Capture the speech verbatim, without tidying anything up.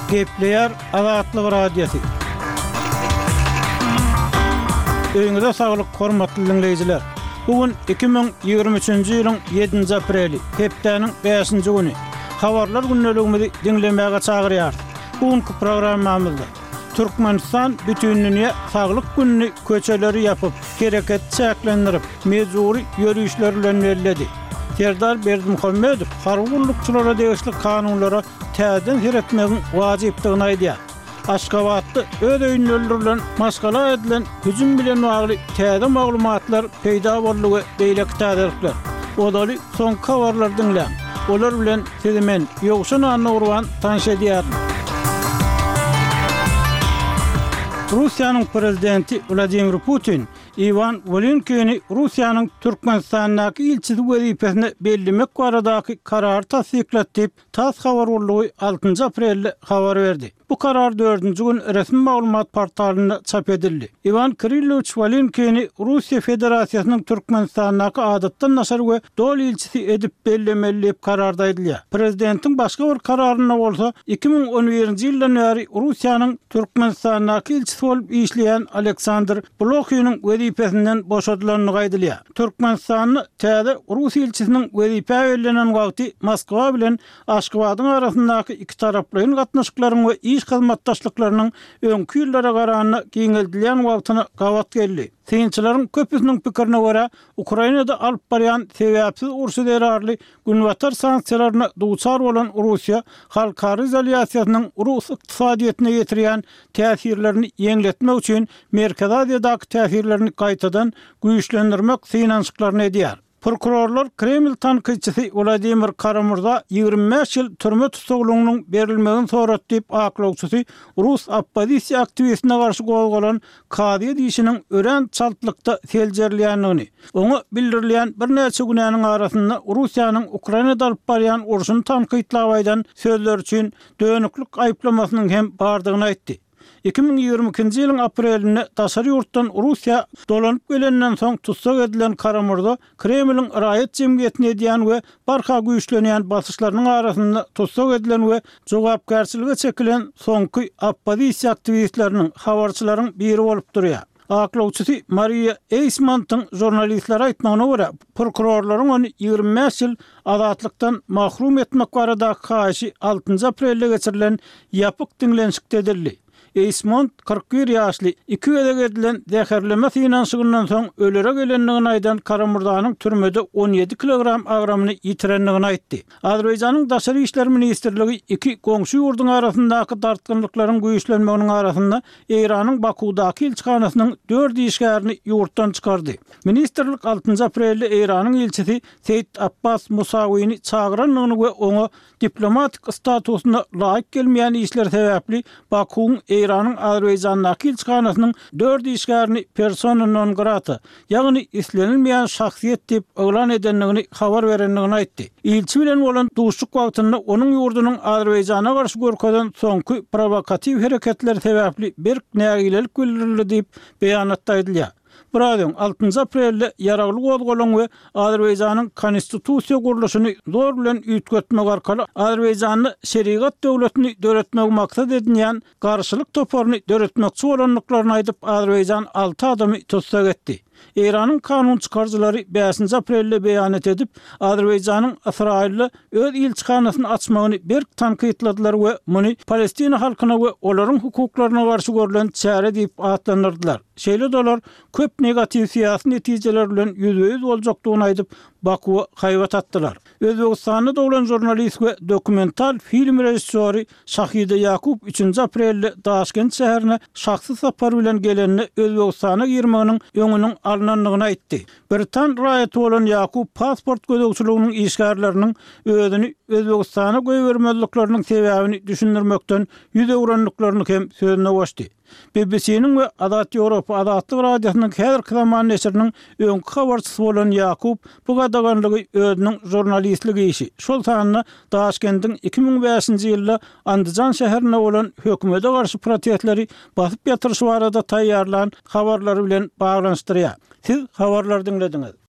Gepleýär Azatlyk Radiosy. Öýüňize saglyk, hormatly diňleýjiler! Bu gün iki müň ýigrimi üçünji ýylyň ýedinji apreli, hepdäniň bäşinji güni. Habarlar gündeligimizi diňlemäge çagyrýarys. Bu günki programmamyzda Türkmenistan Bütindünýä saglyk gününi köçeleri ýapyp, hereketi çäklendirip, mejbury ýörişler bilen belledi. Serdar Berdimuhamedow harby gullukçylara degişli kanunlara täzeden seretmegiň wajypdygyny aýdýar. Aşgabatda öz öýünde öldürilen maşgala edilen hüjüm bilen bagly täze maglumatlar peýda boldy we beýleki täzelikler. Ozaly soňky habarlary diňläň. Olar bilen sizi men, Ýowşan Annagurban tanyş edýärin. Russiýanyň prezidenti Wladimir Putin Iwan Wolinkini Russiýanyň Türkmenistandaky ilçisi wezipesine bellemek baradaky karary tassyklady diýip, TASS habar gullugy altynjy aprelde habar berdi. Bu karar dördünji gün resmi maglumat portalynda çap edildi. Iwan Kirillowiç Wolinkini Russiýa Federasiýasynyň Türkmenistandaky adatdan daşary we doly ilçisi edip bellemeli diýip kararda aýdylýar. Prezidentiň başga bir kararynda bolsa, iki müň on birinji ýyldan bäri Russiýanyň Türkmenistandaky ilçisi bolup işleýän Aleksandr Blohiniň wezipesinden boşadylandygy aýdylýar. Türkmenistanda täze rus ilçisiniň wezipä bellenen wagty Moskwa bilen Aşgabadyň arasyndaky ikitaraplaýyn gatnaşyklaryň we iş hyzmatdaşlyklarynyň öňki ýyllara garanda giňeldilýän wagtyna gabat geldi. Synçylaryň köpüsiniň pikirine görä, Ukrainada alyp barýan sebäpsiz urşy zerarly Günbatar sanksiýalaryna duçar bolan Russiýa halkara izolýasiýasynyň rus ykdysadyýetine ýetirýän täsirlerini ýeňletmek üçin Merkezi Aziýadaky täsirlerini gaýtadan güýçlendirmek synanyşyklaryny edýär. Prokurorlar Kreml tankytçysy Wladimir Kara-Murza ýigrimi bäş ýyl türme tussaglygynyň berilmegini sorady diýip, aklawçysy rus oppozisiýa aktiwistine garşy gozgalan kazyýet işiniň örän çaltlykda seljerilýändigini, oňa bildirilýän birnäçe günäniň arasynda Russiýanyň Ukrainada alyp barýan urşuny tankytlap aýdan sözleri üçin dönüklik aýyplamasynyň hem bardygyny aýtdy. Iki müň ýigrimi ikinji ýylyň aprelinde daşary ýurtdan Russiýa dolanyp gelenden soň tussag edilen Kara-Murza Kremliň raýat jemgyýetine edýän we barha güýçlenýän basyşlarynyň arasynda tussag edilen we jogapkärçilige çekilen soňky oppozisiýa aktiwistleriniň, habarçylaryň biri bolup durýar. Aklawçysy Mariýa Eýsmontyň žurnalistlere aýtmagyna görä, prokurorlaryň ony ýigrimi bäş ýyl azatlykdan mahrum etmek baradaky haýyşy altynjy aprelde geçirilen ýapyk diňlenişikde edildi. Eýsmont kyrk bir ýaşly, iki gezek edilen zäherleme synanyşygyndan soň ölere gelendigini aýdan Kara-Murzanyň türmede on ýedi kilogram agramyny ýitirendigini aýtdy. Azerbaýjanyň Daşary işler ministrligi iki goňşy ýurduň arasyndaky dartgynlyklaryň güýçlenmeginiň arasynda Eýranyň Bakuwdaky ilçihanasynyň dört işgärini ýurtdan çykardy. Ministrlik altynjy aprelde Eýranyň ilçisi Seýit Abbas Musawini çagyrandygyny we oňa diplomatik statusyna laýyk gelmeýän işler sebäpli Bakuwyň Eýranyň Azerbaýjandaky ilçihanasynyň dört işgärini persona non grata, ýagny islenilmeýän şahsyýet diýip yglan edendigini habar berendigini aýtdy. Ilçi bilen bolan duşuşyk wagtynda onuň ýurdunyň Azerbaýjana garşy görkezen soňky prowokatiw hereketleri sebäpli berk nägilelik bildirildi diýip, beýanatda aýdylýar. Biraz öň, altynjy aprelde ýaragly gozgalaň we Azerbaýjanyň konstitusiýa gurluşyny zor bilen üýtgetmek arkaly Azerbaýjanda şerigat döwletini döretmegi maksat edinýän garşylyk toparyny döretmekçi bolandyklaryny aýdyp, Azerbaýjan alty adamy tussag etdi. Eýranyň kanun çykaryjylary bäşinji aprelde beýanat edip, Azerbaýjanyň Ysraýylda öz ilçihanasyny açmagyny berk tankytladylar we muny Palestina halkyna we olaryň hukuklaryna garşy görlen çäre diýip atlandyrdylar. Şeýle-de olar köp negatiw syýasy netijeler bilen ýüzbe-ýüz boljakdygyny aýdyp, Bakuwa haýbat atdylar. Özbegistanda doglan žurnalist we dokumental film režissýory Şahida Ýakup üçünji aprelde Daşkent şäherine şahsy sapar bilen gelende Özbegistana girmeginiň öňüniň alnandygyny aýtdy. Britan raýaty bolan Ýakup pasport gözegçiliginiň işgärleriniň özüni Özbegistana goýbermezlikleriniň sebäbini düşündirmekden ýüz öwrendiklerini hem sözüne goşdy. B B C-niň we Azat Ýewropa Azatlyk Radiosynyň häzirki zaman neşiriniň öňki habarçysy bolan Ýakup bu gadaganlygy özüniň žurnalistlik işi, şol sanda Daşkendiň iki müň bäşinji ýylda Andijan şäherinde bolan hökümete garşy protestleri basyp ýatyryşy barada taýýarlan habarlary bilen baglanyşdyrýar. Siz habarlary diňlediňiz.